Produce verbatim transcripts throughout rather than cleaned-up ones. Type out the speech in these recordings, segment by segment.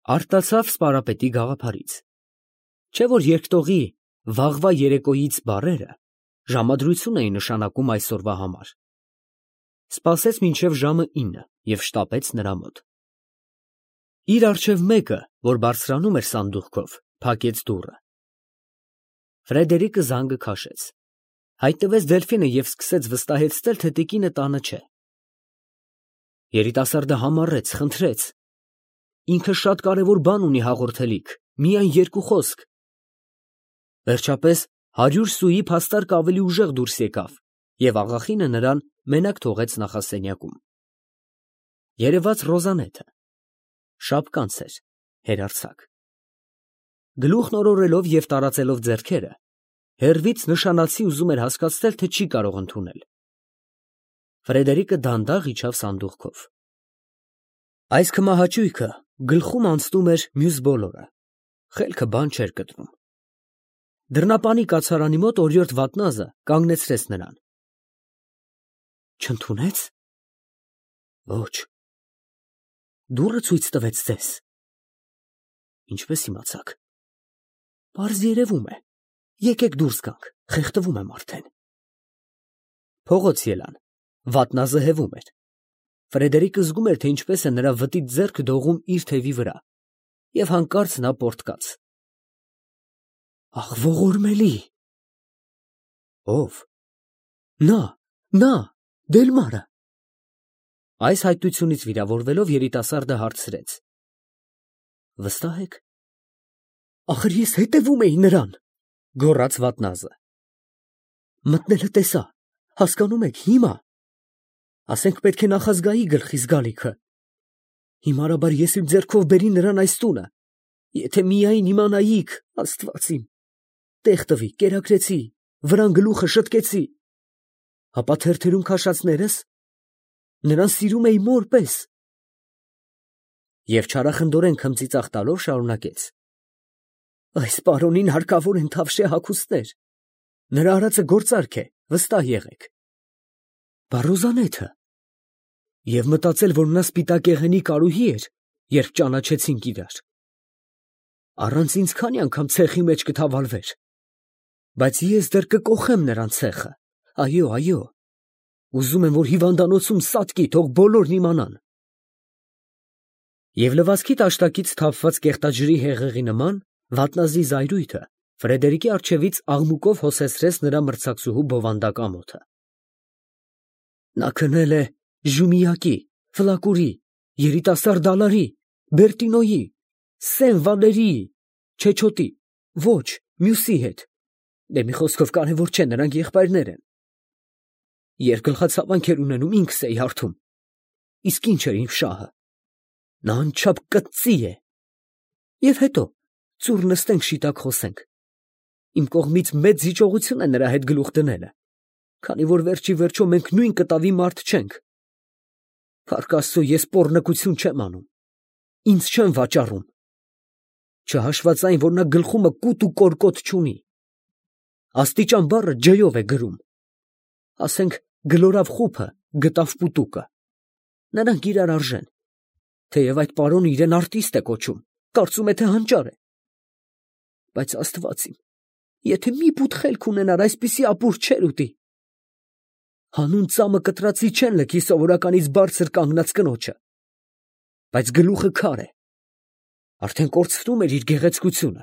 Արտացավ սպարապետի գաղափարից, չէ՞ որ երկտողի վաղվա երեկոյից բառերը ժամադրություն էին նշանակում այսօրվա համար, սպասեց մինչև ժամը ինը և շտապեց նրա մոտ։ Իր առջև մեկը, որ բարձրանում էր սանդուղքով, փակեց դուռը։ Ֆրեդերիկը զանգը քաշեց, հայտնվեց Դելֆինը և սկսեց վստահեցնել, թե տիկինը տանը չէ։ Երիտասարդը համառեց, խնդրեց, ինքը շատ կարևոր բան ունի հաղորդելիք, միայն երկու խոսք։ Վերջապես հարյուր սուի փաստարկ ավելի ուժեղ դուրս եկավ և աղախինը նրան մենակ թողեց նախասենյակում։ Երևաց Ռոզանեթը, շապկանց էր, հերարցակ։ Գլուխն օրորելով և տարածելով ձեռքերը, հեռվից նշանացի ուզում էր հասկացնել, թե չի կարող ընդունել։ Ֆրեդերիկը դանդաղ իջավ սանդուղքով։ Այս քմահաճույքը գլխում անցնում էր մյուս բոլորը, խելքը բան չէր կտրում։ Դռնապանի կացարանի մոտ օրիորդ վատնազը կանգնեցրեց նրան։ Չընդունե՞ց։ Ոչ։ Դուռը ցույց տվեց ձեզ։ Ինչպես իմացաք։ Պարզ երևում է։ Եկեք դուրս գանք, խեղդվում եմ արդեն։ Փողոց ելան, վատնազը հևում էր։ Ֆրեդերիկը զգում էր, թե ինչպես է նրա վտիտ ձեռքը դողում իր թևի վրա, և հանկարծ նա պոռթկաց։ Ախ, ողորմելի։ Ո՞վ։ Նա, նա, Դելմարը։ Այս հայտությունից վիրավորվելով երիտասարդը հարցրեց. Վստահ եք։ Ախր ես հետևում էի նրան, գոռաց վատնազը։ Մտնելը տեսա, հասկանում եք, հիմա։ Ասենք պետք է նախազգայի գլխիս գալիքը։ Հիմարաբար ես իմ ձեռքով բերի նրան այս տունը, եթե միայն իմանայիք, Աստված իմ, տեղ տվի, կերակրեցի, վրան գլուխը շտկեցի, ապա թերթերում քաշածներս, նրան սիրում էի մոր պես։ Եվ չարախնդորեն քմծիծաղ տալով շարունակեց. Այս պարոնին հարկավոր են թավշյա հագուստներ, նրա արածը գործարք է, վստահ եղեք։ Բա Ռոզանեթը։ Եվ մտածել, որ նա սպիտակեղենի կարուհի էր, երբ ճանաչեցինք իրար։ Առանց ինձ քանի անգամ ցեխի մեջ կթավալվեր, բայց ես դեռ կկոխեմ նրան ցեխը, այո, այո, ուզում եմ, որ հիվանդանոցում սատկի, թող բոլորն իմանան։ Եվ լվացքի տաշտակից թափված կեղտաջրի հեղեղի նման վատնազի զայրույթը Ֆրեդերիկի առջևից աղմուկով հոսեցրեց նրա մրցակցուհու բովանդակ ամոթը։ Նա քնել է Ժումիակի, Ֆլակուրի, երիտասարդ Դալարի, Բերտինոյի, Սեն Վալերիի, Չեչոտի, ոչ, մյուսի հետ։ Դե մի խոսքով կարևոր չէ, նրանք եղբայրներ են։ Երկգլխացավանք էր ունենում, ինքս էի հարթում։ Իսկ ինչ էր իմ շահը։ Նա անչափ կծծի է։ Եվ հետո ծուռ նստենք շիտակ խոսենք։ Իմ կողմից մեծ զիջողություն է նրա հետ գլուխ դնելը, քանի որ վերջի վերջո մենք նույն կտավի մարդ չենք։ Փառք Աստծո, ես պոռնկություն չեմ անում, ինձ չեն վաճառում։ Չհաշված այն, որ նա գլխումը կուտ ու կորկոտ չունի։ Աստիճան բառը ջյով է գրում։ Ասենք գլորավ խուփը, գտավ պուտուկը։ Նրանք իրար արժեն, թեև այդ պարոնը իրեն արտիստ է կոչում, կարծում է, թե հանճար է։ Բայց Աստված իմ, եթե մի բութ խելք ունենար, այսպիսի ապուր չէր ուտի։ Հանուն ծամը կտրածի չեն լքի սովորականից բարձր կանգնած կնոջը։ Բայց գլուխը քար է, արդեն կորցնում էր իր գեղեցկությունը։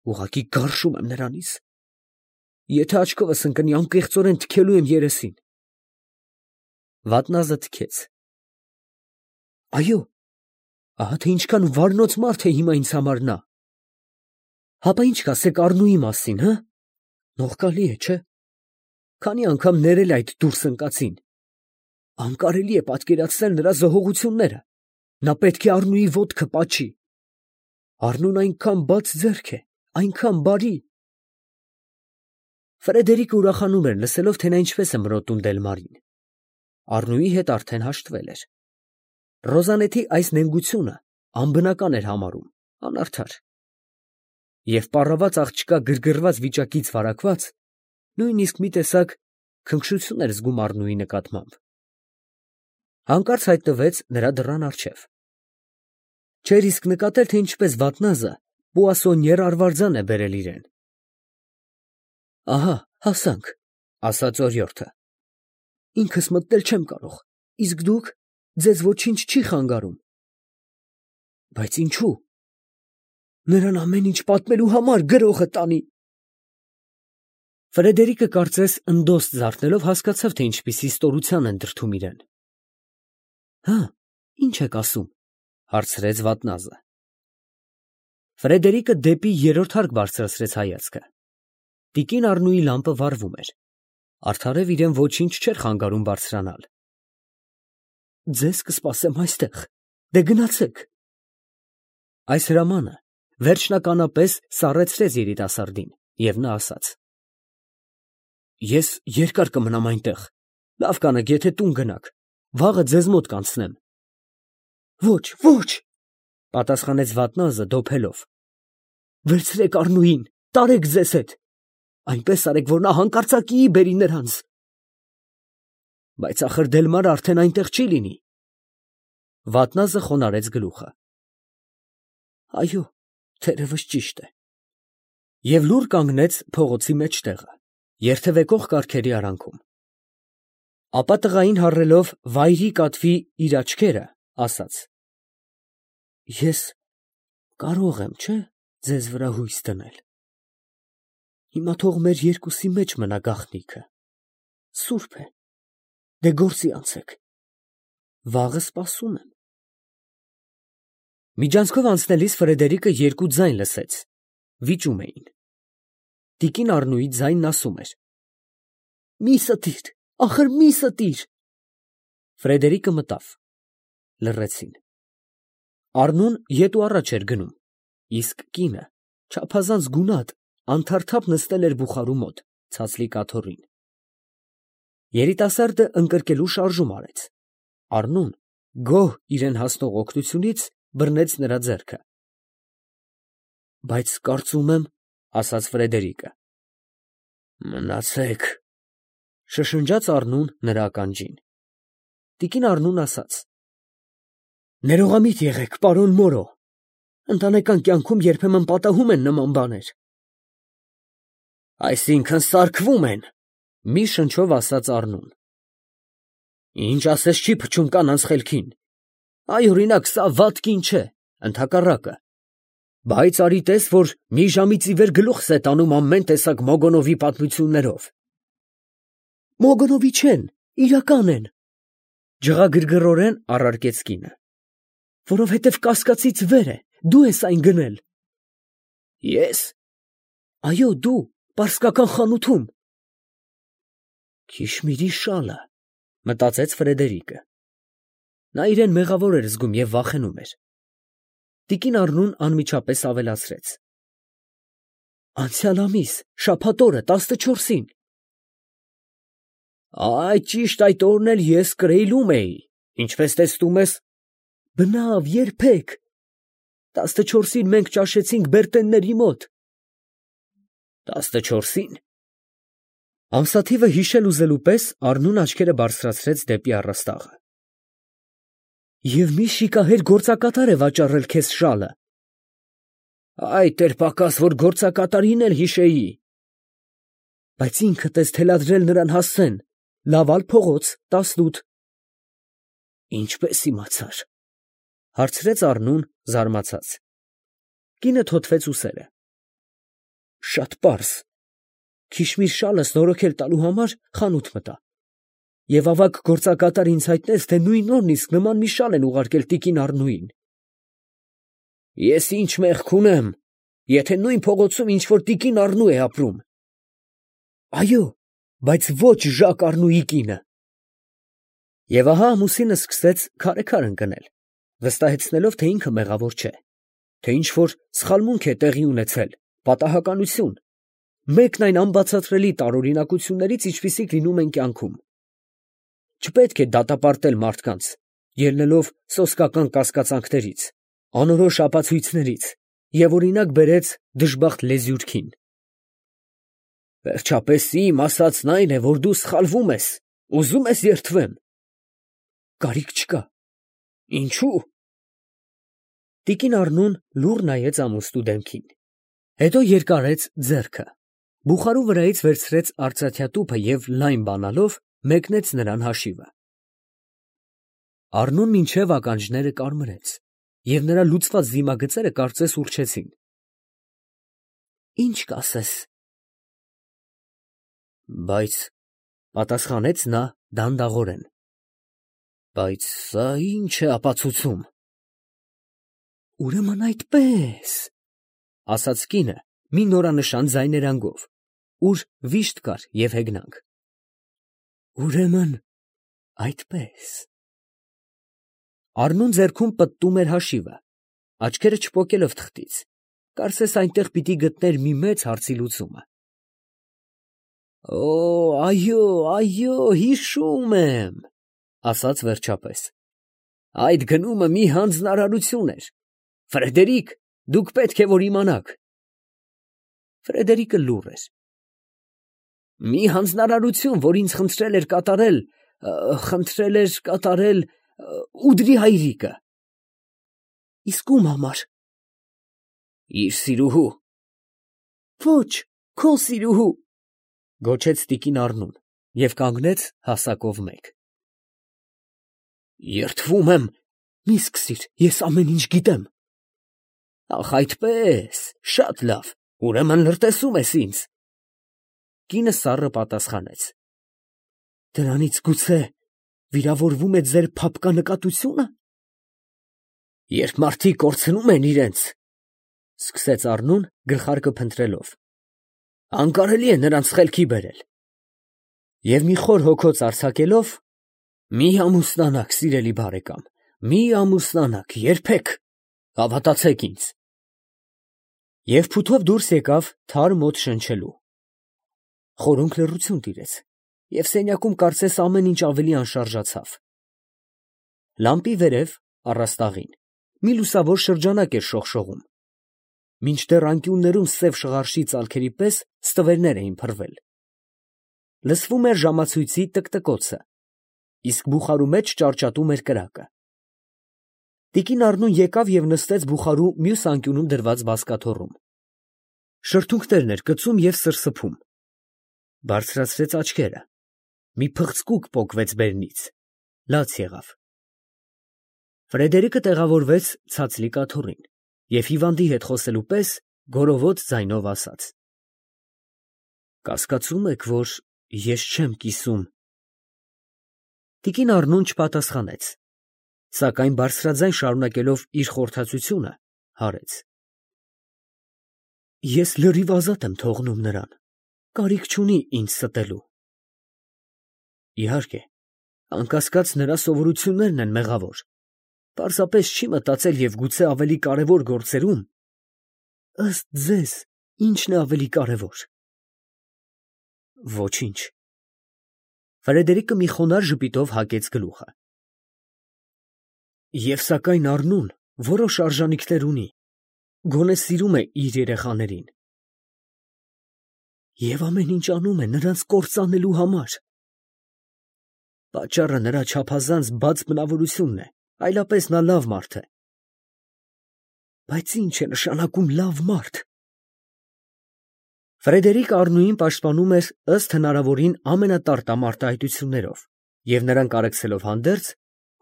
Ուղղակի գարշում եմ նրանից։ Եթե աչքովս ընկնի, անկեղծորեն թքելու եմ երեսին։ Վատնազը թքեց։ Այո, ահա թե ինչքան վարնոց մարդ է հիմա ինձ համար նա։ Հապա ինչ կասեք Առնուի մասին, հը։ Նողկալի է, չէ։ Քանի անգամ ներել այդ դուրս ընկածին։ Անկարելի է պատկերացնել նրա զոհողությունները։ Նա պետք է Առնուի ոտքը պաչի։ Առնուն այնքան բաց ձեռք է, այնքան բարի։ Ֆրեդերիկը ուրախանում էր, լսելով, թե նա ինչպես է մրոտում Դելմարին։ Առնուի հետ արդեն հաշտվել էր։ Ռոզանեթի այս նենգությունը անբնական էր համարում, անարդար։ Եվ պառաված աղջկա գրգռված վիճակից վարակված, նույնիսկ մի տեսակ քնքշություն էր զգում Առնուի նկատմամբ։ Հանկարծ հայտնվեց նրա դռան առջև։ Չէր իսկ նկատել, թե ինչպես վատնազը պուասոնյեր արվարձան է բերել իրեն։ Ահա, հասանք, ասաց օրիորդը։ Ինքս մտնել չեմ կարող, իսկ դուք, ձեզ ոչինչ չի խանգարում։ Բայց ինչու։ Նրան ամեն ինչ պատմելու համար գրողը տանի։ Ֆրեդերիկը կարծես ընդոստ զարթնելով հասկացավ, թե ինչպիսի ստորության են դրդում իրեն։ Հա, ինչ եք ասում, հարցրեց վատնազը։ Ֆրեդերիկը դեպի երրորդ հարկ բարձրացրեց հայացքը։ Տիկին Առնուի լամպը վառվում էր։ Արդարև իրեն ոչինչ չէր խանգարում բարձրանալ։ Ձեզ կսպասեմ այստեղ, դե գնացեք։ Այս հրամանը վերջնականապես սառեցրեց երիտասարդին, և նա ասաց. Ես երկար կմնամ այնտեղ, լավ կանեք, եթե տուն գնաք, վաղը ձեզ մոտ կանցնեմ։ Ոչ, ոչ, պատասխանեց վատնազը դոփելով։ Վերցրեք Առնուին, տարեք ձեզ հետ, այնպես արեք, որ նա հանկարծակիի բերի նրանց։ Բայց ախր Դելմարը արդեն այնտեղ չի լինի։ Վատնազը խոնարհեց գլուխը։ Այո, թերևս ճիշտ է։ Եվ լուռ կանգնեց փողոցի մեջտեղը, երթևեկող կառքերի արանքում։ Ապա տղային հառելով վայրի կատվի իր աչքերը, ասաց. Ես կարող եմ, չէ՞, ձեզ վրա հույս դնել։ Հիմա թող մեր երկուսի մեջ մնա գաղտնիքը։ Սուրբ է, դե գործի անցեք։ Վաղը սպասում եմ։ Միջանցքով անցնելիս Ֆրեդերիկը երկու ձայն լսեց, վիճում էին։ Տիկին Առնուի ձայնն ասում էր. Մի ստիր, ախր մի ստիր։ Ֆրեդերիկը մտավ։ Լռեցին։ Առնուն ետ ու առաջ էր գնում, իսկ կինը չափազանց գունատ, անթարթափ նստել էր բուխարու մոտ, ցածլիկ աթոռին։ Երիտասարդը ընկրկելու շարժում արեց։ Առնուն, գոհ իրեն հասնող օգնությունից, բռնեց նրա ձեռքը։ Բայց կարծում եմ, ասաց Ֆրեդերիկը։ Մնացեք, շշնջաց Առնուն նրա ականջին։ Տիկին Առնուն ասաց. Ներողամիտ եղեք, պարոն Մորո, ընտանեկան կյանքում երբեմն պատահում են նման բաներ։ Այսինքն սարքվում են, մի շնչով ասաց Առնուն։ Ինչ ասես չի փչում կանանց խելքին։ Այ օրինակ, սա վատ կին չէ, ընդհակառակը։ Բայց արի տես, որ մի ժամից ի վեր գլուխս է տանում ամեն տեսակ Մոգոնովի պատմություններով։ Մոգոնովի չեն, իրական են, ջղագրգռորեն առարկեց կինը։ Որովհետև կասկածից վեր է, դու ես այն գնել։ Ես։ Այո, դու, պարսկական խանութում։ Քիշմիրի շալը, մտածեց Ֆրեդերիկը։ Նա իրեն մեղավոր էր զգում և վախենում էր։ Տիկին Առնուն անմիջապես ավելացրեց. Անցյալ ամիս, շաբաթ օրը, տասնչորսին։ Այ ճիշտ այդ օրն էլ ես Կրեյլում էի, ինչպես տեսնում ես։ Բնավ, երբեք։ Տասնչորսին մենք ճաշեցինք Բերտենների մոտ։ Տասնչորսին։ Ամսաթիվը հիշել ուզելու պես Առնուն աչքերը բարձրացրեց դեպի առաստաղը։ Եվ մի շիկահեր գործակատար է վաճառել քեզ շալը։ Այդ էր պակաս, որ գործակատարին էլ հիշեի։ Բայց ինքդ ես թելադրել նրան հասցեն, լավալ փողոց, տասնութ։ Ինչպես իմացար, հարցրեց Առնուն զարմացած։ Կինը թոթվեց ուսերը։ Շատ պարզ։ Քիշմիր շալը նորոգել տալու համար խանութ մտա։ Եվ ավագ գործակատար ինձ հայտնեց, թե նույն օրն իսկ նման մի շալ են ուղարկել տիկին Առնուին։ Ես ինչ մեղք ունեմ, եթե նույն փողոցում ինչ-որ տիկին Առնու է ապրում։ Այո, բայց ոչ Ժակ Առնուի կինը։ Եվ ահա ամուսինը սկսեց քարեքար ընկնել, վստահեցնելով, թե ինքը մեղավոր չէ, թե ինչ-որ սխալմունք է տեղի ունեցել, պատահականություն, մեկն այն անբացատրելի տարօրինակություններից, ինչպիսիք լինում են կյանքում։ Չպետք է դատապարտել մարդկանց, ելնելով սոսկական կասկածանքներից, անորոշ ապացույցներից, և օրինակ բերեց դժբախտ լեզյուրքին։ Վերջապես իմ ասածն այն է, որ դու սխալվում ես, ուզում ես երդվեմ։ Կարիք չկա։ Ինչու՞։ Տիկին Առնուն լուռ նայեց ամուսնու դեմքին, հետո երկարեց ձեռքը, բուխարու վրայից վերցրեց արծաթյա տուփը և լայն բանալով մեկնեց նրան հաշիվը։ Առնուն մինչև ականջները կարմրեց, և նրա լուծված դիմագծերը կարծես ուռչեցին։ Ի՞նչ կասես։ Բայց, պատասխանեց նա դանդաղորեն, բայց սա ի՞նչ է ապացուցում։ Ուրեմն այդպես, ասաց կինը մի նորանշան ձայներանգով, ուր վիշտ կար և հեգնանք։ Ուրեմն այդպես։ Առնուն ձեռքում պտտում էր հաշիվը, աչքերը չպոկելով թղթից, կարծես այնտեղ պիտի գտներ մի մեծ հարցի լուծումը։ Օ, այո, այո, հիշում եմ, ասաց վերջապես, այդ գնումը մի հանձնարարություն էր։ Ֆրեդերիկ, դուք պետք է որ իմանաք։ Ֆրեդերիկը լուռ էր։ Մի հանձնարարություն, որ ինձ խնդրել էր կատարել, խնդրել էր կատարել Ուդրի հայրիկը։ Իսկ ում համար։ Իր սիրուհու։ Ոչ, քո սիրուհու, գոչեց տիկին Առնուն և կանգնեց հասակով մեկ։ Երդվում եմ, մի սկսիր, ես ամեն ինչ գիտեմ։ Ախ, այդպես, շատ լավ, ուրեմն լրտեսում ես ինձ։ Կինը սառը պատասխանեց. Դրանից գուցե վիրավորվում է ձեր փափկա նկատությունը։ Երբ մարդիկ կորցնում են իրենց, սկսեց Առնուն գլխարկը փնտրելով, անկարելի է նրանց խելքի բերել։ Եվ մի խոր հոգոց արձակելով, մի ամուսնանաք, սիրելի բարեկամ, մի ամուսնանաք, երբեք, հավատացեք ինձ։ Եվ փութով դուրս եկավ թարմ օդ շնչելու։ Խորհունկ լռություն տիրեց, և սենյակում կարծես ամեն ինչ ավելի անշարժացավ։ Լամպի վերև, առաստաղին, մի լուսավոր շրջանակ էր շողշողում, մինչդեռ անկյուններում սև շղարշի ծալքերի պես ստվերներ էին փռվել։ Լսվում էր ժամացույցի տկտկոցը, իսկ բուխարու մեջ ճարճատում էր կրակը։ Տիկին Առնուն եկավ և նստեց բուխարու մյուս անկյունում դրված բազկաթոռում։ Շրթունքներն էր կծում և սրսփում։ Բարձրացրեց աչքերը, մի փղծկուկ պոկվեց բերնից, լաց եղավ։ Ֆրեդերիկը տեղավորվեց ցածլիկ աթոռին և հիվանդի հետ խոսելու պես գորովոց ձայնով ասաց. Կասկածում եք, որ ես չեմ կիսում։ Տիկին Առնուն չպատասխանեց, սակայն բարձրաձայն շարունակելով իր խորհրդածությունը, հարեց. Ես լրիվ ազատ եմ թողնում նրան, կարիք չունի ինձ ստելու։ Իհարկե, անկասկած նրա սովորություններն են մեղավոր, պարզապես չի մտածել և գուցե ավելի կարևոր գործերում, ըստ ձեզ, ի՞նչն է ավելի կարևոր։ Ոչինչ։ Ֆրեդերիկը մի խոնարհ ժպիտով հագեց գլուխը։ Եվ սակայն Առնուն որոշ արժանինքներ ունի, գոնե սիրում է իր երեխաներին։ Եվ ամեն ինչ անում է նրանց կործանելու համար։ Պատճառը նրա չափազանց բաց բնավորությունն է, այլապես նա լավ մարդ է։ Բայց ի՞նչ է նշանակում լավ մարդ։ Ֆրեդերիկ Առնուին պաշտպանում էր ըստ հնարավորին ամենատարտամ արտահայտություններով, և նրան կարեկցելով հանդերձ,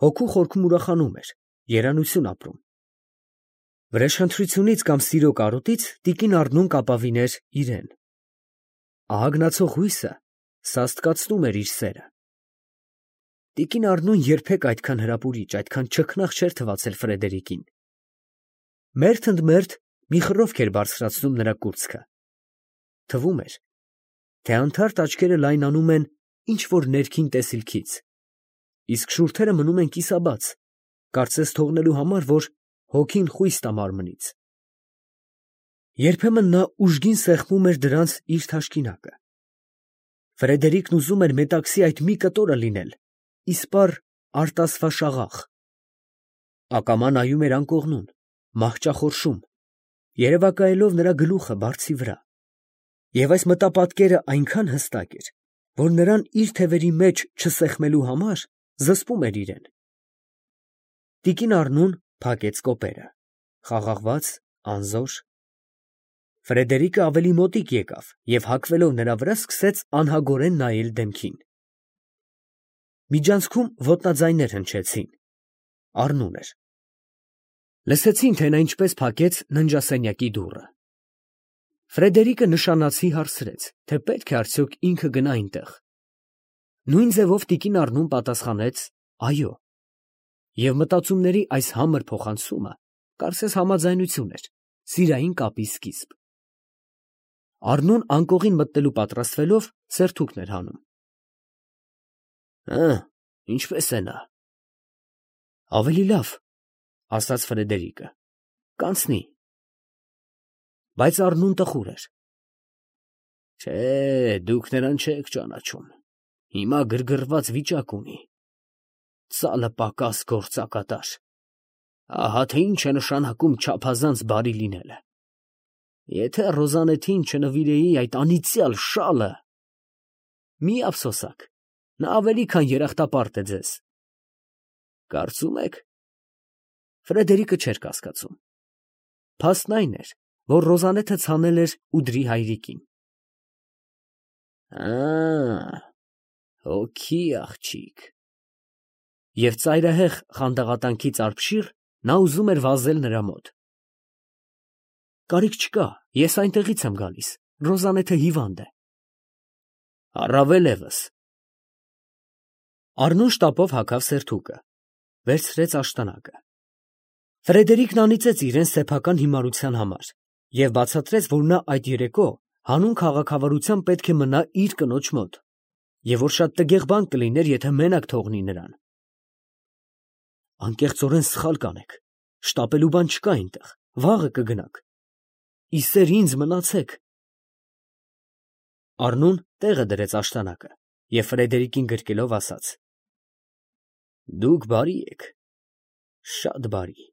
հոգու խորքում ուրախանում էր, երանություն ապրում։ Վրեժխնդրությունից կամ սիրո կարոտից տիկին Առնուն կապավիներ իրեն։ Ահագնացող հույսը սաստկացնում էր իր սերը։ Տիկին Առնուն երբեք այդքան հրապուրիչ, այդքան չքնաղ չէր թվացել Ֆրեդերիկին։ Մերթ ընդ մերթ մի խռովք էր բարձրացնում նրա կուրծքը։ Թվում էր, թե անթարթ աչքերը լայնանում են ինչ֊որ ներքին տեսիլքից, իսկ շուրթերը մնում են կիսաբաց, կարծես թողնելու համար, որ հոգին խույս տա մարմնից։ Երբեմն նա ուժգին սեղմում էր դրանց իր թաշկինակը։ Ֆրեդերիկն ուզում էր մետաքսի այդ մի կտորը լինել, իսպառ արտասվաշաղախ։ Ակամա նայում էր անկողնուն, մահճախորշում, երևակայելով նրա գլուխը բարձի վրա։ Եվ այս մտապատկերը այնքան հստակ էր, որ նրան իր թևերի մեջ չսեղմելու համար զսպում էր իրեն։ Տիկին Առնուն փակեց կոպերը, խաղաղված, անզոր։ Ֆրեդերիկը ավելի մոտիկ եկավ և հագվելով նրա վրա սկսեց անհագորեն նայել դեմքին։ Միջանցքում ոտնաձայներ հնչեցին, առնում էր։ Լսեցին, թե նա ինչպես փակեց ննջասենյակի դուռը։ Ֆրեդերիկը նշանացի հարցրեց, թե պետք է արդյոք ինքը գնա այնտեղ։ Նույն ձևով տիկին Առնուն պատասխանեց այո, և մտածումների այս համր փոխանցումը կարծես համաձայնություն էր, սիրային կապի սկիզբ։ Առնուն անկողին մտնելու պատրաստվելով սերթուկն էր հանում։ Հը, ինչպե՞ս է նա։ Ավելի լավ, ասաց Ֆրեդերիկը, կանցնի։ Բայց Առնուն տխուր էր։ Չէ, դուք նրան չեք ճանաչում, հիմա գրգռված վիճակ ունի, ծալը պակաս գործակատար, ահա թե ինչ է նշանակում չափազանց բարի լինելը։ Եթե Ռոզանեթին չնվիրեի այդ անիծյալ շալը… Մի ափսոսաք, նա ավելի քան երախտապարտ է ձեզ։ Կարծում եք… Ֆրեդերիկը չէր կասկածում։ Փաստն այն էր, որ Ռոզանեթը ցանել էր ուդրի հայրիկին։ Ա, հոգի աղջիկ։ Եվ ծայրահեղ խանդաղատանքից արբշիռ նա ուզում էր վազել նրա մոտ։ Կարիք չկա, ես այնտեղից եմ գալիս, Ռոզանեթը հիվանդ է։ Առավել ևս։ Առնուն շտապով հագավ սերթուկը, վերցրեց աշտանակը։ Ֆրեդերիկն անիծեց իրեն սեփական հիմարության համար և բացատրեց, որ նա այդ երեկո հանուն քաղաքավարության պետք է մնա իր կնոջ մոտ, և որ շատ տգեղ բան կլիներ, եթե մենակ թողնի նրան։ Անկեղծորեն սխալ կանեք, շտապելու բան չկա այնտեղ, վաղը կգնաք։ Ի սեր ինձ մնացեք։ Առնուն տեղը դրեց աշտանակը և Ֆրեդերիկին գրկելով ասաց. Դուք բարի եք, շատ բարի։